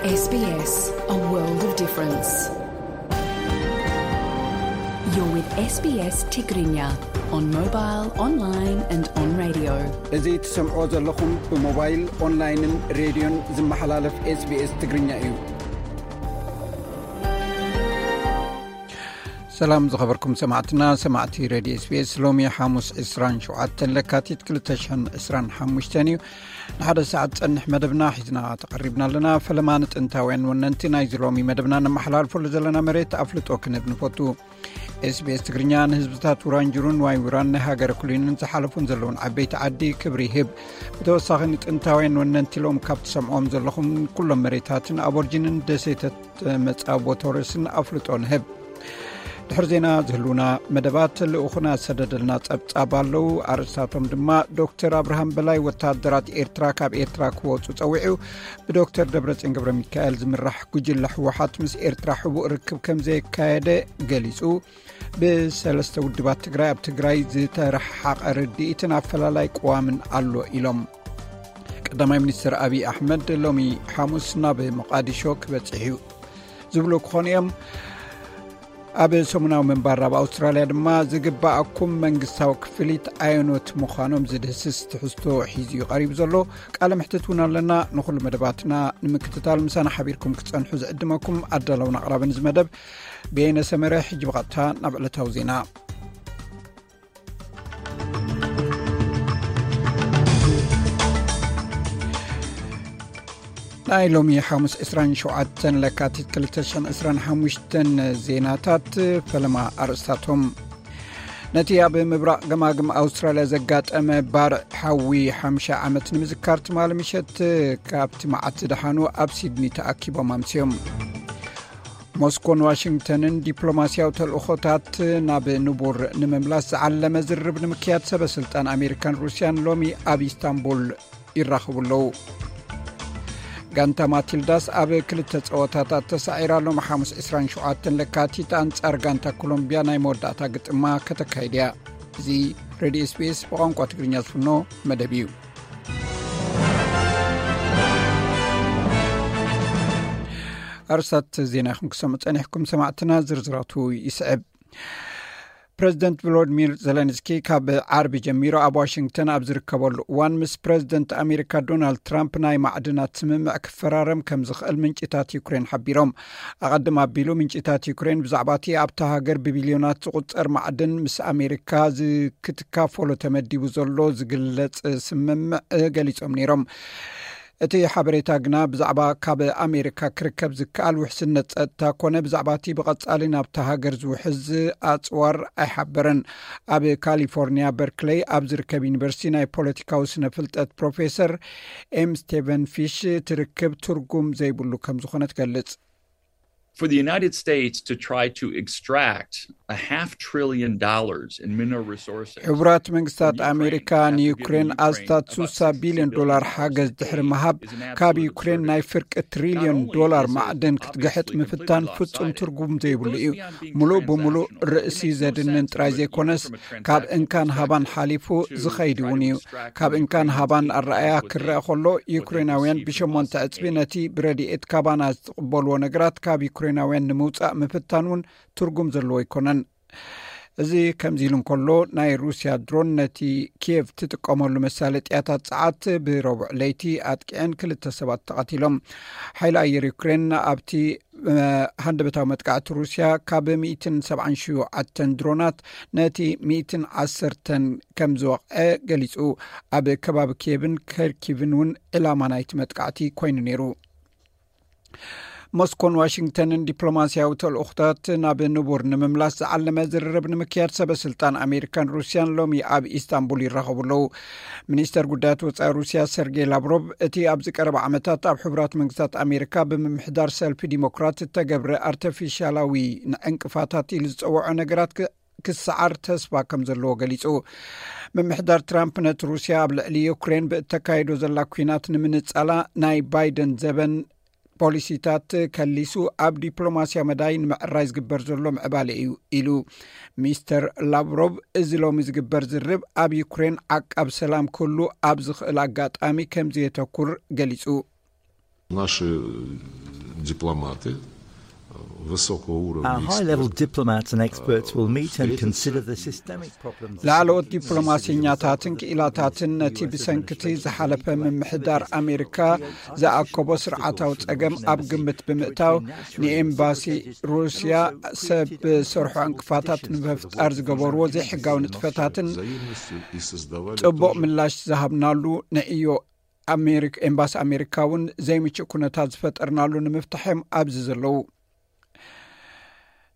S B S, a world of difference. You're with S B S Tigrinya on mobile, online and on radio. እዚ ትሰምዖ ዘለኹም ብሞባይል፣ ኦንላይንን ሬድዮን ዝመሓላለፍ SBS ትግርኛ እዩ። ሰላም ዝኸበርኩም ሰማዕትና፣ ሰማዕቲ ሬድዮ SBS። ሎሚ ሓሙስ ዕስራን ሸውዓተን ለካቲት ክልተ ሽሕን ዕስራን ሓሙሽተን እዩ። ንሓደ ሰዓት ጸንሕ መደብና ሒዝና ተቐሪብና ኣለና። ፈለማ ንጥንታውያን ወነንቲ ናይዚ ሎሚ መደብና ነመሓላልፈሉ ዘለና መሬት ኣፍልጦ ክንህብ ንፈቱ። SBS ትግርኛ ንህዝብታት ውራንጅሩን ዋይ ውራን ናይ ሃገረ ኩሊንን ዝሓለፉን ዘለውን ዓበይቲ ዓዲ ክብሪ ይህብ። ብተወሳኺ ንጥንታውያን ወነንቲ ሎም ካብ ትሰምዖም ዘለኹም ኩሎም መሬታትን ኣቦርጂንን ደሴተት መጻቦ ቶረስን ኣፍልጦ ንህብ። ድሕሪ ዜና ዝህልውና መደባት ልኡኹና ሰደደልና ጸብጻብ ኣለዉ። ኣርእስታቶም ድማ ዶክተር ኣብርሃም በላይ ወታደራት ኤርትራ ካብ ኤርትራ ክወጹ ጸዊዑ። ብዶክተር ደብረጽዮን ገብረ ሚካኤል ዝምራሕ ጉጅለ ህወሓት ምስ ኤርትራ ሕቡእ ርክብ ከም ዘየካየደ ገሊጹ። ብሰለስተ ውድባት ትግራይ ኣብ ትግራይ ዝተረሓሓቐ ርድኢትን ኣፈላላይ ቅዋምን ኣሎ ኢሎም። ቀዳማይ ሚኒስትር ኣብይ ኣሕመድ ሎሚ ሓሙስ ናብ መቃዲሾ ክበጽሕ እዩ ዝብሉ ክኾኑ እዮም። ኣብ ሰሙናዊ ምንባር ኣብ ኣውስትራልያ ድማ ዝግባኣኩም መንግስታዊ ክፍሊት ኣየኖት ምዃኖም ዝድህስስ ትሕዝቶ ሒዙ እዩ ቀሪቡ ዘሎ። ቃለ ምሕትት እውን ኣለና። ንኹሉ መደባትና ንምክትታል ምሳና ሓቢርኩም ክትጸንሑ ዝዕድመኩም ኣዳለውን ኣቕራብን እዚ መደብ በየነ ሰመረ። ሕጂ ብቐጥታ ናብ ዕለታዊ ዜና። ናይ ሎሚ ሓሙስ ዕስራን ሸውዓተን ለካቲት ክልተ ሽሕን ዕስራን ሓሙሽተን ዜናታት። ፈለማ ኣርእስታቶም። ነቲ ኣብ ምብራቕ ገማግም ኣውስትራልያ ዘጋጠመ ባርዕ ሓዊ ሓምሳ ዓመት ንምዝካር ትማሊ ምሸት ካብቲ መዓት ዝደሓኑ ኣብ ሲድኒ ተኣኪቦም ኣምስዮም። ሞስኮን ዋሽንግተንን ዲፕሎማስያዊ ተልእኾታት ናብ ንቡር ንምምላስ ዝዓለመ ዝርርብ ንምክያድ ሰበ ስልጣን ኣሜሪካን ሩስያን ሎሚ ኣብ ኢስታንቡል ይራኸቡ ኣለዉ። ጋንታ ማቲልዳስ ኣብ ክልተ ጸወታታት ተሳዒራ ሎም ሓሙስ ዕስራን ሸውዓተን ለካቲት ኣንጻር ጋንታ ኮሎምቢያ ናይ መወዳእታ ግጥማ ከተካይድ እያ። እዚ ሬድዮ SBS ብቋንቋ ትግርኛ ዝፍኖ መደብ እዩ። ኣርስታት ዜና ኢኹም ክሰምዑ ጸኒሕኩም ሰማዕትና፣ ዝርዝራቱ ይስዕብ። ፕረዚደንት ቮሎዲሚር ዘለንስኪ ካብ ዓርቢ ጀሚሩ ኣብ ዋሽንግተን ኣብ ዝርከበሉ እዋን ምስ ፕረዚደንት ኣሜሪካ ዶናልድ ትራምፕ ናይ ማዕድናት ስምምዕ ክፈራረም ከም ዝኽእል ምንጭታት ዩክሬን ሓቢሮም። ኣቐድም ኣቢሉ ምንጭታት ዩክሬን ብዛዕባ እቲ ኣብታ ሃገር ብቢልዮናት ዝቑጸር ማዕድን ምስ ኣሜሪካ ዝ-፣ ክትካፈሎ ተመዲቡ ዘሎ ዝግለጽ ስምምዕ ገሊጾም ነይሮም። እቲ ሓበሬታ ግና ብዛዕባ ካብ ኣሜሪካ ክርከብ ዝከኣል ውሕስነት ጸጥታ ኮነ ብዛዕባ እቲ ብቐጻሊ ናብታ ሃገር ዝውሕዝ ኣጽዋር ኣይሓበረን። ኣብ ካሊፎርኒያ በርክለይ ኣብ ዝርከብ ዩኒቨርሲቲ ናይ ፖለቲካዊ ስነ ፍልጠት ፕሮፌሰር ኤም ስቴቨን ፊሽ ትርክብ ትርጉም ዘይብሉ ከም ዝኾነ ትገልጽ። For the United States to try to extract a half trillion dollars in mineral resources ሕቡራት መንግስታት ኣሜሪካ ንዩክሬን ኣስታት ስሳ ቢልዮን ዶላር ሓገዝ ድሕሪ ምሃብ፣ ካብ ዩክሬን ናይ ፍርቂ ትሪልዮን ዶላር ማዕድን ክትግሕጥ ምፍታን ፍጹም ትርጉም ዘይብሉ እዩ። ሙሉእ ብሙሉእ ርእሲ ዘድንን ጥራይ ዘይኮነስ፣ ካብ እንካን ሃባን ሓሊፉ ዝኸይድ እውን እዩ። ካብ እንካን ሃባን ኣረኣያ ክረአ ከሎ፣ ዩክሬናውያን ብሸሞንተ ዕጽቢ ነቲ ብረድኤት ካባና ዝቕበልዎ ነገራት ካብ ዩክሬናውያን ንምውጻእ ምፍታን እውን ትርጉም ዘለዎ ኣይኮነን። እዚ ከምዚ ኢሉ እንከሎ፣ ናይ ሩስያ ድሮን ነቲ ኪየቭ ትጥቀመሉ መሳለጥያታት ጸዓት ብረቡዕ ለይቲ ኣጥቂዐን ክልተ ሰባት ተቐቲሎም። ሓይሊ ኣየር ዩክሬን ኣብቲ፣ እ፣ ሃንደበታዊ መጥቃዕቲ ሩስያ ካብ ሚእትን ሰብዓን ሸውዓተን ድሮናት ነቲ ሚእትን ዓሰርተን ከም ዝወቕዐ ገሊጹ። ኣብ ከባቢ ኪየቭን ከርኪቭን እውን ዕላማ ናይቲ መጥቃዕቲ ኮይኑ ነይሩ። ሞስኮን ዋሽንግተንን ዲፕሎማስያዊ ተልእኾታት ናብ ንቡር ንምምላስ ዝዓለመ ዝርርብ ንምክያድ ሰበ ስልጣን ኣሜሪካን ሩስያን ሎሚ ኣብ ኢስታንቡል ይራኸቡ ኣለዉ። ሚኒስተር ጉዳያት ወጻኢ ሩስያ ሰርጌይ ላቭሮቭ፣ እቲ ኣብዚ ቀረባ ዓመታት ኣብ ሕቡራት መንግስታት ኣሜሪካ ብምምሕዳር ሰልፊ ዲሞክራት እተገብረ ኣርተፊሻላዊ ንዕንቅፋታት ኢሉ ዝጸውዖ ነገራት ክ-፣ ክሰዓር ተስፋ ከም ዘለዎ ገሊጹ። ምምሕዳር ትራምፕ ነቲ ሩስያ ኣብ ልዕሊ ዩክሬን ብእተካይዶ ዘላ ኲናት ንምንጻላ ናይ ባይደን ዘበን ፖሊሲታት ከሊሱ ኣብ ዲፕሎማስያዊ መዳይ ንምዕራይ ዝግበር ዘሎ ምዕባለ እዩ ኢሉ። ሚስተር ላቭሮቭ፣ እዚ ሎሚ ዝግበር ዝርብ ኣብ ዩክሬን ዓቃብ ሰላም ክህሉ ኣብ ዝኽእል ኣጋጣሚ ከም ዘየተኩር ገሊጹ። Наши дипломаты высокого уровня. Our high level diplomats and experts will meet and consider the systemic problems. ላዕለዎት ዲፕሎማሲኛታትን ክኢላታትን ነቲ ብሰንክቲ ዝሓለፈ ምምሕዳር ኣሜሪካ ዝኣከቦ ስርዓታዊ ጸገም ኣብ ግምት ብምእታው፣ ንኤምባሲ ሩስያ ሰብ ሰርሖ ዕንቅፋታት ንምፍጣር ዝገበርዎ ዘይሕጋዊ ንጥፈታትን ጽቡቕ ምላሽ ዝሃብናሉ ንዕዮ ኣሜሪካ፣ ኤምባሲ ኣሜሪካ እውን ዘይምቹእ ኩነታት ዝፈጠርናሉ ንምፍታሕ እዮም ኣብዚ ዘለዉ።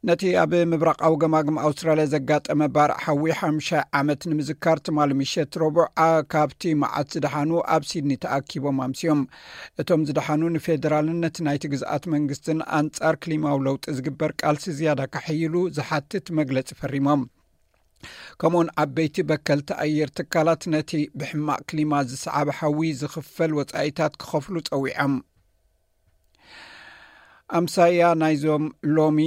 ነቲ ኣብ ምብራቓዊ ገማግም ኣውስትራልያ ዘጋጠመ ባርዕ ሓዊ ሓሙሻይ ዓመት ንምዝካር ትማሊ ምሸት ረቡዕ፣ ኣ- ካብቲ መዓት ዝደሓኑ ኣብ ሲድኒ ተኣኪቦም ኣምስዮም። እቶም ዝደሓኑ ንፌደራልን ነቲ ናይቲ ግዝኣት መንግስትን ኣንጻር ክሊማዊ ለውጢ ዝግበር ቃልሲ ዝያዳ ካሕይሉ ዝሓትት መግለጺ ፈሪሞም። ከምኡውን ዓበይቲ በከልቲ ኣየር ትካላት ነቲ ብሕማቕ ክሊማ ዝሰዓበ ሓዊ ዝኽፈል ወጻኢታት ክኸፍሉ ጸዊዖም። ኣምሳያ ናይዞም ሎሚ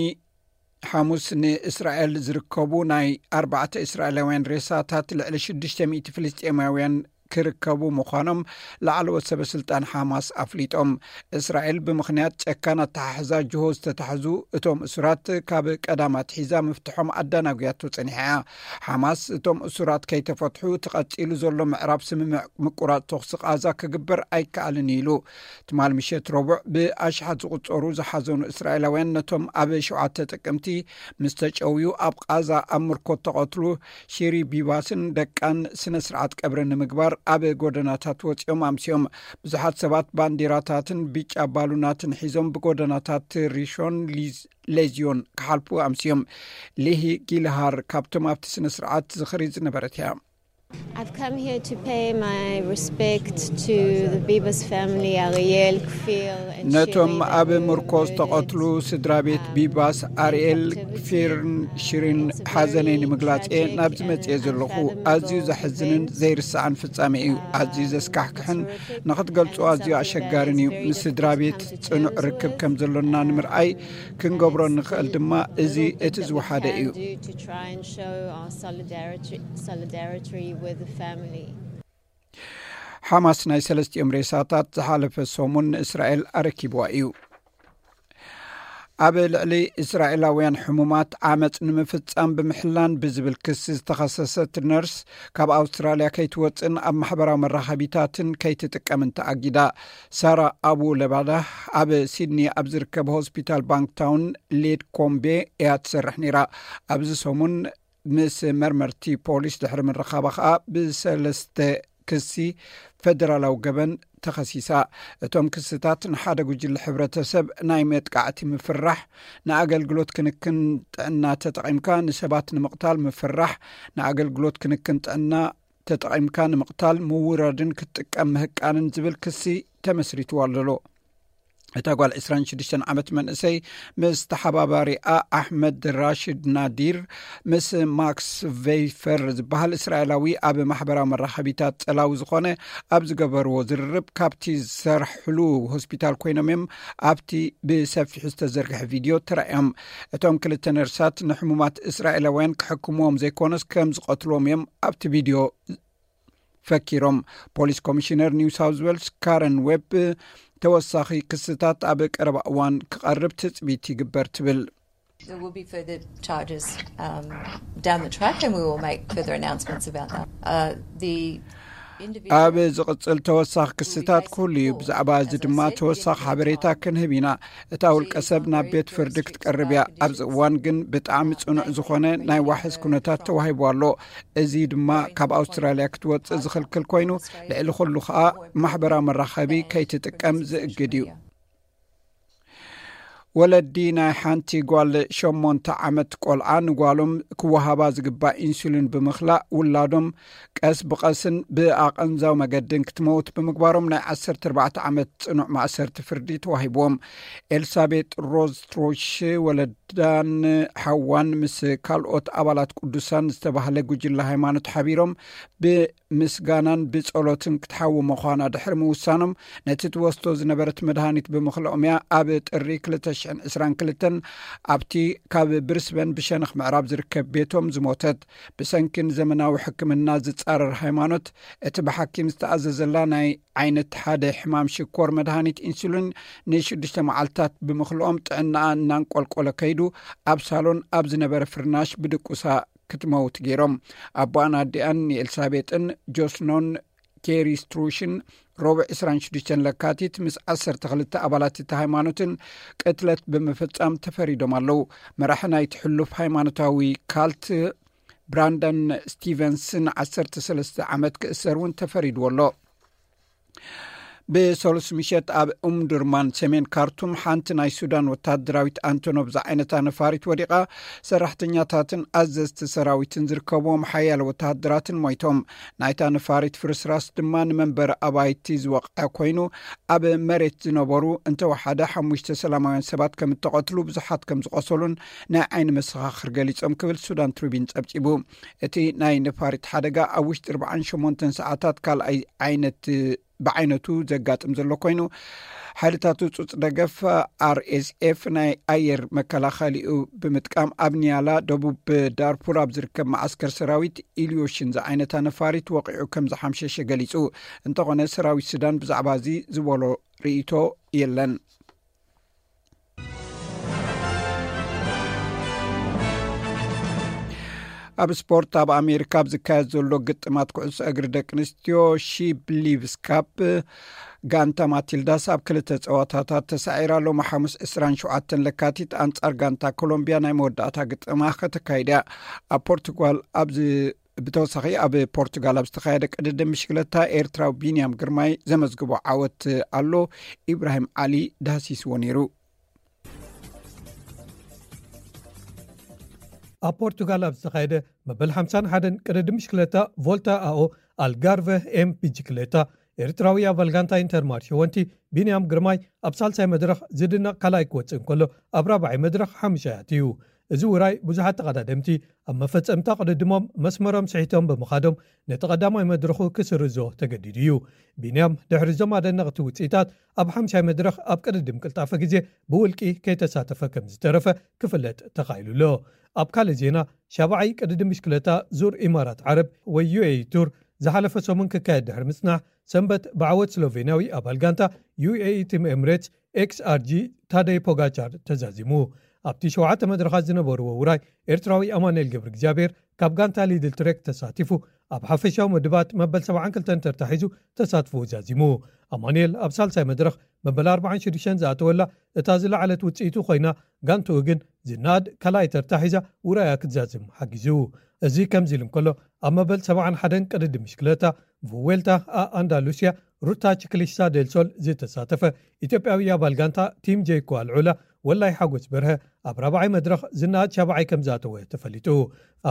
ሓሙስ ንእስራኤል ዝርከቡ ናይ ኣርባዕተ እስራኤላውያን ሬሳታት ልዕሊ ሽዱሽተ ሚእቲ ፍልስጤማውያን ክርከቡ ምዃኖም ላዕለዎት ሰበ ስልጣን ሓማስ ኣፍሊጦም። እስራኤል ብምኽንያት ጨካን ኣተሓሕዛ ጅሆ ዝተታሕዙ እቶም እሱራት ካብ ቀዳም ኣትሒዛ ምፍትሖም ኣዳናጉያቶ ጸኒሓ እያ። ሓማስ እቶም እሱራት ከይተፈትሑ እቲ ቀጺሉ ዘሎ ምዕራብ ስምምዕ ምቁራጽ ተኹሲ ቃዛ ክግበር ኣይከኣልን ኢሉ። ትማል ምሸት ረቡዕ ብኣሽሓት ዝቑጸሩ ዝሓዘኑ እስራኤላውያን ነቶም ኣብ ሸውዓተ ጥቅምቲ ምስ ተጨውዩ ኣብ ቃዛ ኣብ ምርኮት ተቐትሉ ሺሪ ቢባስን ደቃን ስነ ስርዓት ቀብሪ ንምግባር ኣብ ጎደናታት ወፂኦም ኣምስዮም። ብዙሓት ሰባት ባንዲራታትን ብጫ ባሉናትን ሒዞም ብጎደናታት ሪሾን ሊዝ- ሌዝዮን ክሓልፉ ኣምስዮም። ሊሂ ጊልሃር ካብቶም ኣብቲ ስነ ስርዓት ዝኽሪ ዝነበረት እያ። I've come here to pay my respect to the Bibas family, Ariel, Kfir, and ነቶም Shirin, ኣብ who were ምርኮስ murdered. ተቐትሉ ስድራ ቤት ቢባስ፣ ኣርኤል፣ ፊርን፣ ሽሪን ሓዘነይ ንምግላጽ እየ ናብዚ መጽየ ዘለኹ። ኣዝዩ ዘሕዝንን ዘይርሳዕን ፍጻሜ እዩ። ኣዝዩ ዘስካሕክሕን ንኽትገልጾ ኣዝዩ ኣሸጋርን እዩ። ምስ ስድራ ቤት ጽኑዕ ርክብ ከም ዘሎና ንምርኣይ ክንገብሮ ንኽእል ድማ እዚ እቲ ዝወሓደ እዩ። ሓማስ ናይ ሰለስቲኦም ሬሳታት ዝሓለፈ ሰሙን ንእስራኤል ኣረኪብዋ እዩ። ኣብ ልዕሊ እስራኤላውያን ሕሙማት ዓመፅ ንምፍፃም ብምሕላን ብዝብል ክሲ ዝተኸሰሰት ነርስ ካብ ኣውስትራልያ ከይትወፅእን ኣብ ማሕበራዊ መራኸቢታትን ከይትጥቀምን ተኣጊዳ። ሳራ ኣቡ ለባዳ ኣብ ሲድኒ ኣብ ዝርከብ ሆስፒታል ባንክታውን ሌድ ኮምቤ እያ ትሰርሕ ነይራ። ኣብዚ ሰሙን ምስ መርመርቲ ፖሊስ ድሕሪ ምርኻባ ከኣ ብሰለስተ ክሲ ፈደራላዊ ገበን ተኸሲሳ። እቶም ክስታት ንሓደ ጉጅለ ሕብረተሰብ ናይ መጥቃዕቲ ምፍራሕ፣ ንኣገልግሎት ክንክን ጥዕና ተጠቒምካ ንሰባት ንምቕታል ምፍራሕ፣ ንኣገልግሎት ክንክን ጥዕና ተጠቒምካ ንምቕታል ምውራድን ክትጥቀም ምህቃንን ዝብል ክሲ ተመስሪትዋ ኣሎ። እታ ጓል ዕስራን ሽዱሽተን ዓመት መንእሰይ ምስ ተሓባባሪኣ ኣሕመድ ራሽድ ናዲር ምስ ማክስ ቬይፈር ዝበሃል እስራኤላዊ ኣብ ማሕበራዊ መራኸቢታት ጸላዊ ዝኾነ ኣብ ዝገበርዎ ዝርርብ ካብቲ ዝሰርሕሉ ሆስፒታል ኮይኖም እዮም ኣብቲ ብሰፊሑ ዝተዘርግሐ ቪድዮ ተራእዮም። እቶም ክልተ ነርሳት ንሕሙማት እስራኤላውያን ክሕክምዎም ዘይኮነስ ከም ዝቐትልዎም እዮም ኣብቲ ቪድዮ ፈኪሮም። ፖሊስ ኮሚሽነር ኒው ሳውዝ ዌልስ ካረን ዌብ ተወሳኺ ክስታት ኣብ ቀረባ እዋን ክቐርብ ትጽቢት ይግበር ትብል። There will be further charges um, down the track, and we will make further announcements about that. Uh, the individual ኣብ ዝቕጽል ተወሳኺ ክስታት ክህሉ እዩ። ብዛዕባ እዚ ድማ ተወሳኺ ሓበሬታ ክንህብ ኢና። እታ ውልቀ ሰብ ናብ ቤት ፍርዲ ክትቀርብ እያ። ኣብዚ እዋን ግን ብጣዕሚ ጽኑዕ ዝኾነ ናይ ዋሕስ ኩነታት ተዋሂቡ ኣሎ። እዚ ድማ ካብ ኣውስትራልያ ክትወጽእ ዝኽልክል ኮይኑ ልዕሊ ኩሉ ከኣ ማሕበራዊ መራኸቢ ከይትጥቀም ዝእግድ እዩ። ወለዲ ናይ ሓንቲ ጓል ሸሞንተ ዓመት ቆልዓ ንጓሎም ክወሃባ ዝግባእ ኢንሱሊን ብምኽላእ ውላዶም ቀስ ብቐስን ብኣቐንዛው መገድን ክትመውት ብምግባሮም ናይ ዓሰርተ ኣርባዕተ ዓመት ጽኑዕ ማእሰርቲ ፍርዲ ተዋሂብዎም። ኤልሳቤጥ ሮዝ ትሮሽ ወለዳን ሓዋን ምስ ካልኦት ኣባላት ቅዱሳን ዝተባህለ ጉጅለ ሃይማኖት ሓቢሮም ብምስጋናን ብጸሎትን ክትሓዊ ምዃና ድሕሪ ምውሳኖም ነቲ ትወስዶ ዝነበረት መድሃኒት ብምኽልኦም እያ ኣብ ጥሪ ክልተ ትሽዓን ዕስራን ክልተን ኣብቲ ካብ ብሪስበን ብሸነኽ ምዕራብ ዝርከብ ቤቶም ዝሞተት፣ ብሰንኪ ንዘመናዊ ሕክምና ዝጻረር ሃይማኖት፣ እቲ ብሓኪም ዝተኣዘዘላ ናይ ዓይነት ሓደ ሕማም ሽኮር መድሃኒት ኢንሱሊን ንሽዱሽተ መዓልታት ብምኽልኦም ጥዕናኣ እናንቆልቆለ ከይዱ ኣብ ሳሎን ኣብ ዝነበረ ፍርናሽ ብድቁሳ ክትመውት ገይሮም። ኣቦኣን ኣዲኣን ንኤልሳቤጥን ጆስኖን ኬሪ ስትሩሽን ረቡዕ ዕስራን ሽዱሽተን ለካቲት ምስ ዓሰርተ ክልተ ኣባላት እቲ ሃይማኖትን ቅትለት ብምፍጻም ተፈሪዶም ኣለዉ። መራሒ ናይቲ ሕሉፍ ሃይማኖታዊ ካልት ብራንደን ስቲቨንስ ን ዓሰርተ ሰለስተ ዓመት ክእሰር እውን ተፈሪድዎ ኣሎ። ብሰሉስ ምሸት ኣብ ኡምዱርማን ሰሜን ካርቱም ሓንቲ ናይ ሱዳን ወታደራዊት ኣንቶኖቭ ዝዓይነታ ነፋሪት ወዲቓ፣ ሰራሕተኛታትን ኣዘዝቲ ሰራዊትን ዝርከብዎም ሓያለ ወታደራትን ሞይቶም። ናይታ ነፋሪት ፍርስራስ ድማ ንመንበሪ ኣባይቲ ዝወቕዐ ኮይኑ፣ ኣብ መሬት ዝነበሩ እንተወሓደ ሓሙሽተ ሰላማውያን ሰባት ከም እተቐትሉ፣ ብዙሓት ከም ዝቖሰሉን ናይ ዓይኒ መሰኻኽር ገሊጾም ክብል ሱዳን ትሪቢን ጸብጺቡ። እቲ ናይ ነፋሪት ሓደጋ ኣብ ውሽጢ ኣርባዓን ሸሞንተን ሰዓታት ካልኣይ ዓይነት ብዓይነቱ ዘጋጥም ዘሎ ኮይኑ፣ ሓይልታት ህጹጽ ደገፍ ኣርኤስኤፍ ናይ ኣየር መከላኸሊኡ ብምጥቃም ኣብ ኒያላ ደቡብ ዳርፉር ኣብ ዝርከብ መዓስከር ሰራዊት ኢልዮሽን ዝዓይነታ ነፋሪት ወቒዑ ከም ዝሓምሸሸ ገሊጹ። እንተኾነ ሰራዊት ሱዳን ብዛዕባ እዚ ዝበሎ ርእይቶ የለን። ኣብ ስፖርት፣ ኣብ ኣሜሪካ ኣብ ዝካየድ ዘሎ ግጥማት ኩዕሶ እግሪ ደቂ ኣንስትዮ ሺብሊቭስ ካፕ፣ ጋንታ ማቲልዳስ ኣብ ክልተ ጸዋታታት ተሳዒራ ሎሚ ሓሙስ ዕስራን ሸውዓተን ለካቲት ኣንጻር ጋንታ ኮሎምቢያ ናይ መወዳእታ ግጥማ ከተካይድ እያ። ኣብ ፖርቱጋል ኣብ ዝ-፣ ብተወሳኺ ኣብ ፖርቱጋል ኣብ ዝተኻየደ ቅድድም ብሽክለታ ኤርትራዊ ቢንያም ግርማይ ዘመዝግቦ ዓወት ኣሎ። ኢብራሂም ዓሊ ዳህሲስዎ ነይሩ። ኣብ ፖርቱጋል ኣብ ዝተኻየደ መበል ሓምሳን ሓደን ቅድድም ብሽክለታ ቮልታ ኣኦ ኣልጋርቨ ኤም ብሽክለታ፣ ኤርትራዊ ኣባል ጋንታ ኢንተርማርሽ ወንቲ ቢንያም ግርማይ ኣብ ሳልሳይ መድረኽ ዝድነቕ ካልኣይ ክወጽእ እንከሎ፣ ኣብ ራብዓይ መድረኽ ሓሙሻይ ኣትዩ። እዚ ውራይ ብዙሓት ተቐዳደምቲ ኣብ መፈጸምታ ቅድድሞም መስመሮም ስሒቶም ብምኻዶም ነቲ ቀዳማይ መድረኹ ክስርዞ ተገዲዱ እዩ። ቢንያም ድሕሪ እዞም ኣደነቕቲ ውጽኢታት ኣብ ሓምሻይ መድረኽ ኣብ ቅድድም ቅልጣፈ ግዜ ብውልቂ ከይተሳተፈ ከም ዝተረፈ ክፍለጥ ተኻኢሉ ኣሎ። ኣብ ካልእ ዜና፣ ሻብዓይ ቅድድም ብሽክለታ ዙር ኢማራት ዓረብ ወይ ዩ ኤ ኢ ቱር ዝሓለፈ ሰሙን ክካየድ ድሕሪ ምጽናሕ፣ ሰንበት ብዓወት ስሎቬንያዊ ኣባል ጋንታ ዩ ኤ ኢ ቲም ኤምሬትስ ኤክስ ኣር ጂ ታደይ ፖጋቻር ተዛዚሙ። ኣብቲ ሸውዓተ መድረኻት ዝነበርዎ ውራይ፣ ኤርትራዊ ኣማኑኤል ገብረ እግዚኣብሔር ካብ ጋንታ ሊድል ትሬክ ተሳቲፉ፣ ኣብ ሓፈሻዊ መድባት መበል ሰብዓን ክልተን ተርታ ሒዙ ተሳትፎ ዛዚሙ። ኣማኑኤል ኣብ ሳልሳይ መድረኽ መበል ኣርባዓን ሽዱሽተን ዝኣተወላ እታ ዝለዓለት ውጽኢቱ ኮይና፣ ጋንትኡ ግን ዝነኣድ ካልኣይ ተርታ ሒዛ ውራያ ክትዛዝም ሓጊዙ። እዚ ከምዚ ኢሉ እንከሎ፣ ኣብ መበል ሰብዓን ሓደን ቅድድም ብሽክለታ ቭዌልታ ኣ ኣንዳሉስያ ሩታ ቺክሊስታ ዴል ሶል ዝተሳተፈ ኢትዮጵያዊ ኣባል ጋንታ ቲም ጄይኮ ኣልዑላ ወላይ ሓጎስ በርሀ ኣብ ራብዓይ መድረኽ ዝነኣድ ሻብዓይ ከም ዝኣተወ ተፈሊጡ።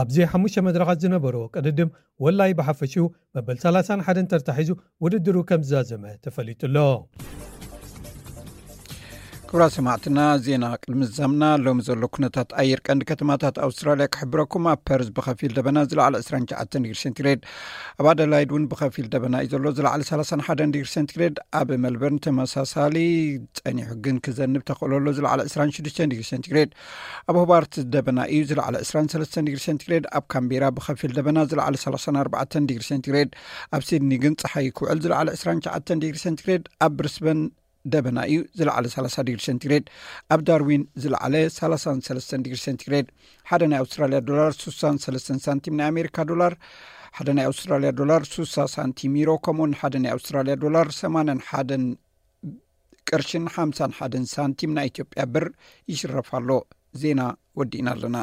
ኣብዚ ሓሙሽተ መድረኻት ዝነበረዎ ቅድድም ወላይ ብሓፈሽኡ መበል ሰላሳን ሓደን ተርታ ሒዙ ውድድሩ ከም ዝዛዘመ ተፈሊጡ ኣሎ። ክቡራት ሰማዕትና፣ ዜና ቅድሚ ዝዛምና ሎሚ ዘሎ ኩነታት ኣየር ቀንዲ ከተማታት ኣውስትራልያ ክሕብረኩም። ኣብ ፐርዝ ብኸፊል ደበና ዝለዓለ ዕስራን ትሽዓተን ዲግሪ ሴንቲግሬድ፣ ኣብ ኣደላይድ እውን ብኸፊል ደበና እዩ ዘሎ ዝለዓለ ሰላሳን ሓደን ዲግሪ ሴንቲግሬድ፣ ኣብ ሜልበርን ተመሳሳሊ ጸኒሑ ግን ክዘንብ ተኽእሎ ኣሎ ዝለዓለ ዕስራን ሽዱሽተን ዲግሪ ሴንቲግሬድ፣ ኣብ ሆባርት ደበና እዩ ዝለዓለ ዕስራን ሰለስተን ዲግሪ ሴንቲግሬድ፣ ኣብ ካምቤራ ብኸፊል ደበና ዝለዓለ ሰላሳን ኣርባዕተን ዲግሪ ሴንቲግሬድ፣ ኣብ ሲድኒ ግን ጸሓይ ክውዕል ዝለዓለ ዕስራን ትሽዓተን ዲግሪ ሴንቲግሬድ፣ ኣብ ብሪስበን ደበና እዩ ዝለዓለ ሰላሳ ዲግሪ ሴንቲግሬድ፣ ኣብ ዳርዊን ዝለዓለ ሰላሳን ሰለስተን ዲግሪ ሴንቲግሬድ። ሓደ ናይ ኣውስትራልያ ዶላር ሱሳን ሰለስተን ሳንቲም፣ ናይ ኣሜሪካ ዶላር ሓደ ናይ ኣውስትራልያ ዶላር ሱሳ ሳንቲም፣ ዩሮ ከምኡውን ሓደ ናይ ኣውስትራልያ ዶላር ሰማንያን ሓደን ቅርሽን ሓምሳን ሓደን ሳንቲም ናይ ኢትዮጵያ ብር ይሽረፍ ኣሎ። ዜና ወዲእና ኣለና።